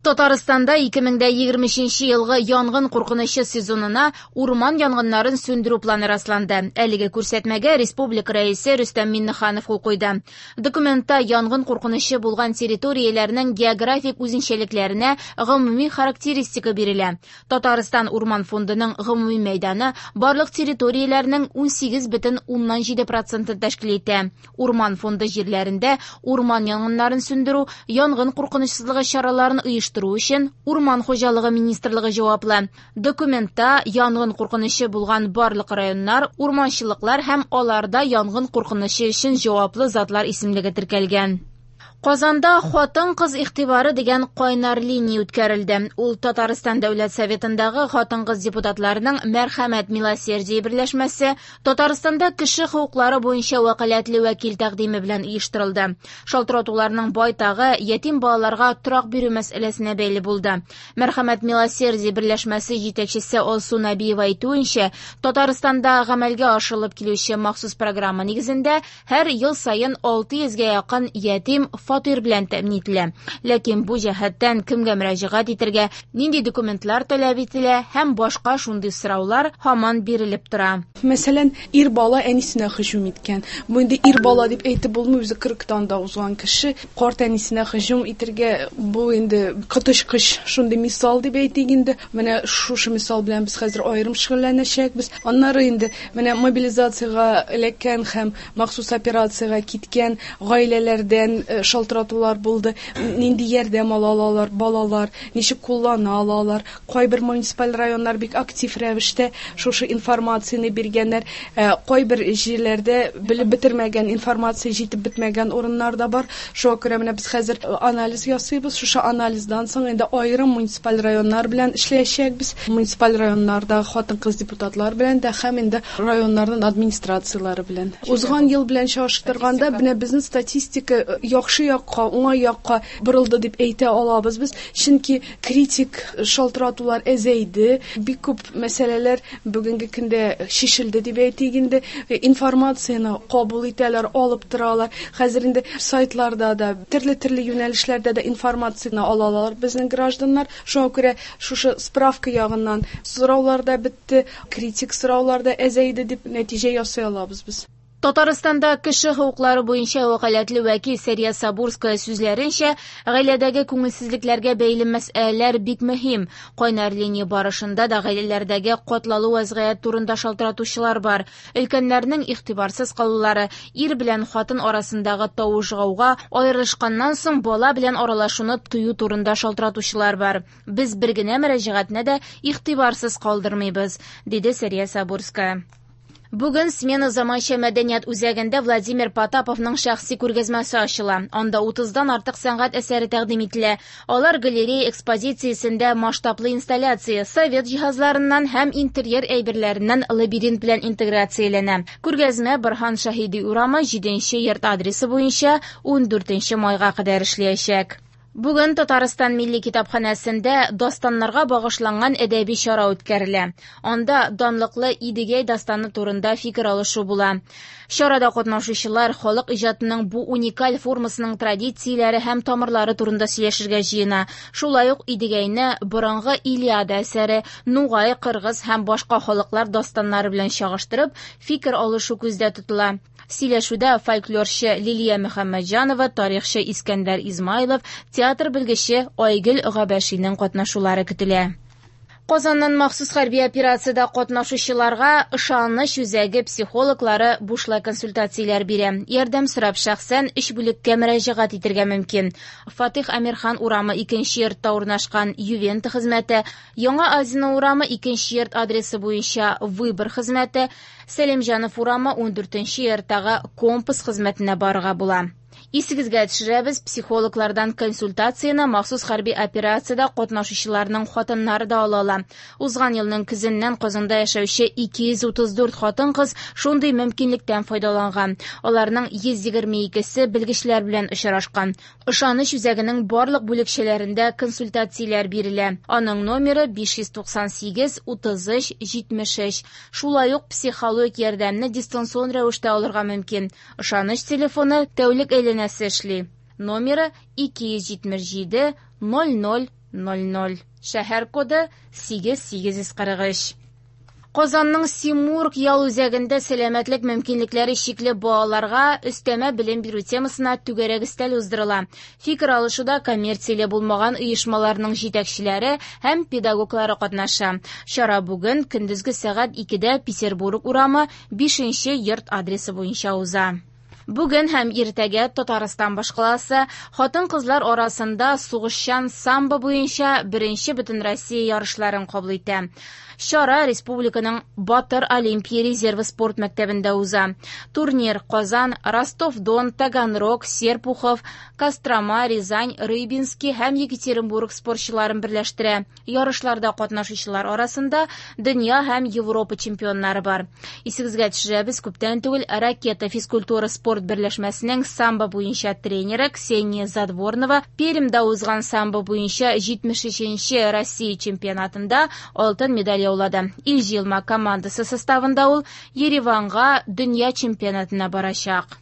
Татарстанда 2023 елгы янгын куркынычы сезонына урман янгыннарын сүндерү планы расланды. Әлеге күрсәтмәгә республика Рәисе Рөстәм Миңнеханов кул куйды. Документта янгын куркынычы булган территорияләрнең географик үзенчәлекләренә гомуми характеристика бирелә. Татарстан урман фондының гомуми мәйданы барлык территорияләрнең 18,7 процентын тәшкил итә. Урман фонды җирләрендә урман янгыннарын сүндерү, янгын куркынычсызлыгы чараларын оештыру өчен Урман хуҗалыгы министрлыгы җаваплы. Документта янгын куркынычы булган барлык районнар, урманчылыклар һәм аларда янгын куркынычы өчен җаваплы затлар исемлеге теркәлгән. Казанда «Хатын-кыз игътибары» дигән кайнар линия үткәрелде. Ул Татарстан Дәүләт Советындагы хатын-кыз депутатларының Мәрхәмәт милосердие берләшмәсе, Татарстанда кеше хокуклары буенча вәкаләтле вәкил тәкъдиме белән оештырылды. Шалтыратуларның байтагы ятим балаларга торак бирү мәсьәләсенә бәйле булды. Мәрхәмәт милосердие берләшмәсе җитәкчесе Алсу Нәбиева әйтүенчә, Татарстанда гамәлгә ашырылып килүче махсус программа нигезендә һәр ел саен 600гә якын ятим фатир белән тәэмин ителә. Ләкин бу җәһәттән кемгә мөрәҗәгать итәргә, нинди документлар таләп ителә һәм башка шундый сораулар һаман бирелеп тора. Мәсәлән, ир бала әнисенә һөҗүм иткән. Бу инде ир бала дип әйтеп булмый, үзе 40-тан да узган кеше. Карт әнисенә һөҗүм итергә, бу инде коточкыч шундый мисал дип әйтик инде. Менә шушы мисал белән без хәзер аерым шөгыльләнәчәкбез. Аннары инде менә мобилизациягә эләккән һәм махсус операциягә киткән гаиләләрдән шалтыратулар булды. Нинди ярдәм ала алалар балалар, ничек куллана алалар. Кайбер муниципаль районнар бик актив рәвештә шушы информацияне биргәннәр. Кайбер җирләрдә белеп бетермәгән информация җитеп бетмәгән урыннар да бар. Шуңа күрә менә без хәзер анализ ясыйбыз. Шушы анализдан соң инде аерым муниципаль районнар белән эшләячәкбез. Муниципаль районнарда хатын-кыз депутатлар белән дә һәм инде районнарның администрацияләре белән. Узган ел белән чагыштырганда менә безнең статистика яхшы якка, уңай якка борылды дип әйтә алабыз без. Чөнки критик шалтыратулар әзәйде, бик күп мәсьәләләр бүгенге көндә шешелде дип әйтик инде. Информацияне кабул итәләр, алып торалар. Хәзер инде сайтларда да, төрле-төрле юнәлешләрдә дә информацияне алалар безнең гражданнар. Шуңа күрә шушы справка ягыннан сораулар да бетте, критик сораулар да әзәйде дип нәтиҗә ясый алабыз без. Татарстанда кеше хокуклары буенча вәкаләтле вәкил Сәрия Сабурская сүзләренчә, гаиләдәге күңелсезлекләргә бәйле мәсьәләләр бик мөһим. Кайнар линия барышында да гаиләләрдәге катлаулы вазгыять турында шалтыратучылар бар. Өлкәннәрнең игътибарсыз калулары, ир белән хатын арасындагы тавыш-гауга, аерылышканнан соң бала белән аралашуны тыю турында шалтыратучылар бар. Без бер генә мөрәҗәгатьне дә игътибарсыз калдырмыйбыз, диде Сәрия Сабурская. Бүген Смена заманча мәдәният үзәгендә Владимир Потаповның шәхси күргәзмәсе ачыла. Анда 30-дан артык сәнгать әсәре тәкъдим ителә. Алар галерея экспозициясендә масштаблы инсталляция, совет җиһазларыннан һәм интерьер әйберләреннән лабиринт белән интеграцияләнә. Күргәзмә Борһан Шаһиди урамы 7 йорт адресы буенча 14 майга кадәр эшләячәк. Бүген Татарстан Милли китапханәсендә дастаннарга багышланган әдәби чара үткәрелә. Анда данлыклы Идегәй дастаны турында фикер алышу була. Чарада катнашучылар халык иҗатының бу уникаль формасының традицияләре һәм тамырлары турында сөйләшергә җыена. Шулай ук Идегәйне борынгы Илиада әсәре, Нугай, Кыргыз һәм башка халыклар дастаннары белән чагыштырып, фикер алышу күздә тотыла. Сөйләшүдә фольклорчы Лилия Мөхәммәтҗанова, тарихчы Искәндәр Измайлов, театр белгече Айгөл Габәшинең катнашулары көтелә. Казаннан махсус хәрби операциядә катнашучыларга ышаныч үзәге психологлары бушлай консультацияләр бирә. Ярдәм сорап шәхсән 3 бүлеккә мөрәҗәгать итәргә мөмкин. Фатих Әмирхан урамы 2 йортта урнашкан Ювента хезмәте, Яңа Азино урамы 2 йорт адресы буенча Выбор хезмәте, Сәлимҗанов урамы 14 йорттагы Компас хезмәтенә барырга була. Исегезгә төшерәбез, психологлардан консультацияне махсус хәрби операциядә катнашучыларның хатыннары да ала ала. Узган елның көзеннән Казанда яшәүче 234 хатын-кыз шундый мөмкинлектән файдаланган. Аларның 122-се белгечләр белән очрашкан. Ышаныч үзәгенең барлык бүлекчәләрендә консультацияләр бирелә. Аның номеры 598 33 73. Шулай ук психологик ярдәмне дистанцион рәвештә алырга мөмкин. Ышаныч телефоны тәүлек әйләнәсе эшли. Номеры 277 00 00. Шәһәр коды 8843. Казанның Симург ял үзәгендә сәламәтлек мөмкинлекләре чикле балаларга өстәмә белем бирү темасына түгәрәк өстәл уздырыла. Фикер алышуда коммерцияле булмаган оешмаларның җитәкчеләре һәм педагоглары катнаша. Чара бүген көндезге сәгать 2дә Петербург урамы 5 нче йорт адресы буенча уза. Бүген һәм иртәгә Татарстан башкаласы хатын-кызлар арасында сугышчан самбо буенча беренче Бөтенроссия ярышларын кабул итә. Чара республиканың Батыр Олимпия резервы спорт мәктәбендә уза. Турнир Казан, Ростов-Дон, Таганрог, Серпухов, Кострома, Рязань, Рыбинский һәм Екатеринбург спортчыларын берләштерә. Ярышларда катнашучылар арасында дөнья һәм Европа чемпионнары бар. Исегезгә төшерәбез, күптән түгел Ракета физкультура спорт берләшмәсенең самбо буенча тренеры Ксения Задворнова Пермьдә узган самбо буенча 73нче Россия чемпионатында алтын медаль яулады. Ил җыелма командасы составында ул Ереванга дөнья чемпионатына барачак.